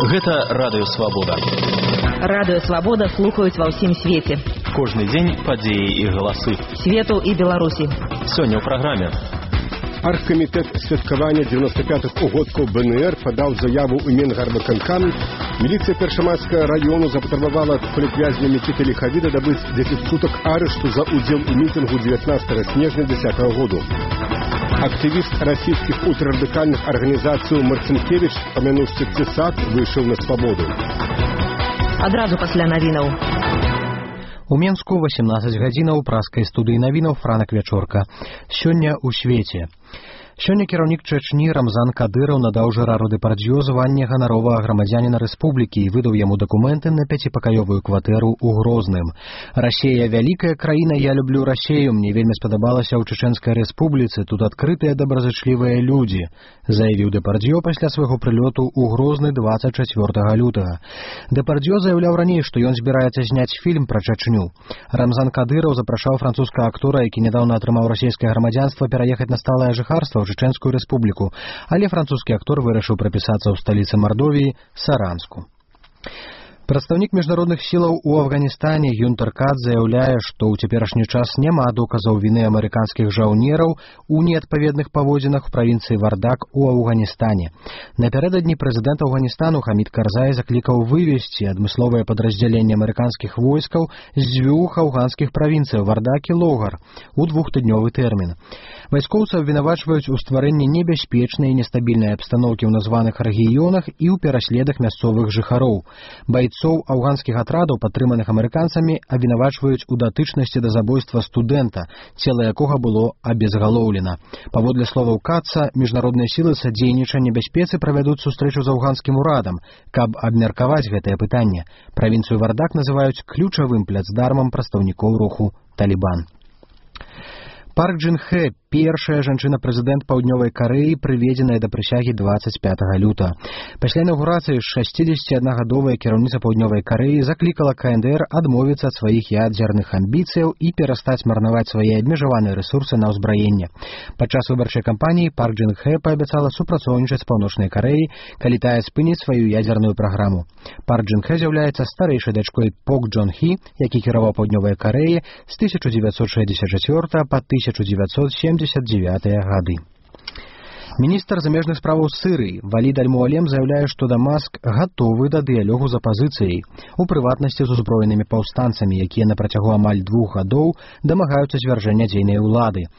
Гэта Радыё Свабода. Радыё Свабода слухаюць ва ўсім свеце. Кожны дзень падзеі і галасы. Свету і Беларусі. Сёння ў праграме. Аргкамітэт святкавання 95-х угодкаў БНР падаў заяву ў Менгарвыканкам. Міліцыя Першамайскага раёну запатрабавала ад палітвязня Мікіты Ліхавіда дабыць 10 сутак арышту за ўдзел у мітынгу 19 снежня 2010 году. Актывіст расійскіх ультрарадыкальных арганізацый Марцінкевіч, памянуўшы ЦСАК, выйшаў на свабоду. Адразу пасля навінаў. У Менску 18 гадзінаў праскай студыі навінаў Франак Вячорка. Сёння ў свеце. Сёння кіраўнік Чэчні Рамзан Кадыраў надаў Жерару Дэпардзё званне ганаровага грамадзяніна рэспублікі і выдаў яму дакументы на 5-пакаёвую кватэру ў Грозным. Расія вялікая краіна, я люблю Расію, мне вельмі спадабалася ў Чэчэнскай рэспубліцы, тут адкрытыя добразычлівыя людзі, заявіў Дэпардзё пасля свайго прылёту ў Грозны 24 лютага. Дэпардзё заяўляў раней, што ён збіраецца зняць фільм пра Чэчню. Рамзан Кадыраў запрашаў французскага актора, які нядаўна атрымаў расійскае грамадзянства, пераехаць на сталае жыхарства ў Чэчэнскую рэспубліку, але французскі актор вырашыў прапісацца ў сталіцы Мардовіі Саранску. Прадстаўнік міжнародных сілаў у Афганістане Гюнтер Кат заяўляе, што ў цяперашні час няма доказаў віны амерыканскіх жаўнераў у неадпаведных паводзінах у правінцыі Вардак у Афганістане. Напярэдадні прэзідэнт Афганістану Хамід Карзай заклікаў вывесці адмысловае падраздзяленне амерыканскіх войскаў з 2 афганскіх правінцыяў Вардак і Логар у 2-тыднёвы тэрмін. Вайскоўцы абвінавачваюць у стварэнні небяспечнай і нестабільнай абстаноўкі ў названых рэгіёнах і ў пераследах мясцовых жыхароў. Бойцоў афганскіх атрадаў, падтрыманых амерыканцамі, абвінавачваюць у датычнасці да забойства студэнта, цела якога было абезгалоўлена. Паводле словаў Катца, міжнародныя сілы садзейнічання бяспецы правядуць сустрэчу з афганскім урадам, каб абмеркаваць гэтае пытанне. Правінцыю Вардак называюць ключавым пляцдармам прадстаўнікоў руху Талібан. Парк Джын Хэ, першая жанчына-прэзідэнт Паўднёвай Карэі, прыведзеная да прысягі 25 лютага. Пасля інаўгурацыі 61гадовая кіраўніца Паўднёвай Карэі заклікала КНДР адмовіцца ад сваіх ядзерных амбіцыяў і перастаць марнаваць свае абмежаваныя рэсурсы на ўзбраенне. Падчас выбарчай кампаніі Парк Джын Хэ паабяцала супрацоўнічаць з Паўночнай Карэяй, калі тая спыніць сваю ядзерную праграму. Парк Джын Хэ з'яўляецца старэйшай дачкой Пок Джон Хі, які кіраваў Паўднёвай Карэяй з 1964 па 1979 гады. Міністр замежных справаў Сырыі Валід Аль-Муалем заяўляе, што Дамаск гатовы да дыялогу з апазіцыяй, у прыватнасці з узброенымі паўстанцамі, якія на працягу амаль 2 гадоў дамагаюцца звяржэння дзейнай улады.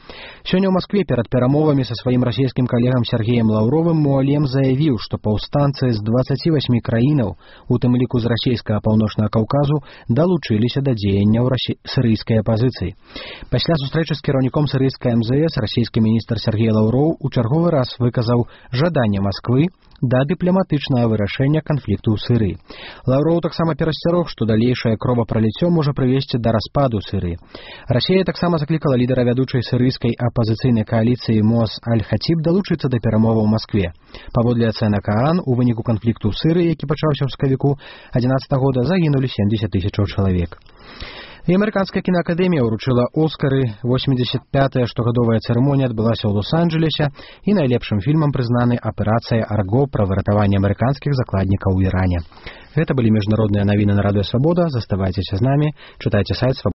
Сёння ў Маскве перад перамовамі са сваім расійскім калегам Сергеем Лаўровым Муалем заявіў, што паўстанцы з 28 краінаў, у тым ліку з расійскага паўночнага Каўказу, далучыліся да дзеянняў сырыйскай апазіцыі. Пасля сустрэчы з кіраўніком сырыйскай МЗС расійскі міністр Сергей Лаўроў у чарговы раз выказаў жаданне Масквы да дыпламатычнага вырашэння канфлікту ў Сырыі. Лаўроў таксама перасцярог, што далейшае кровапраліццё можа прывесці да распаду Сырыі. Расія таксама заклікала лідара вядучай сырыйскай апазіцыйнай кааліцыі Мос Аль-Хатіб далучыцца да перамоваў у Маскве. Паводле ацэнак ААН, у выніку канфлікту ў Сырыі, які пачаўся ў сакавіку 2011 года, загінулі 70 000 чалавек. І амерыканская кінаакадэмія ўручыла Оскары. 85-я штогадовая цырымонія адбылася ў Лос-Анджелесе, і найлепшым фільмам прызнаны «Аперацыя Арго» пра выратаванне амерыканскіх закладнікаў у Іране. Гэта былі міжнародныя навіны на Радыё Свабода. Заставайцеся з намі, чытайце сайт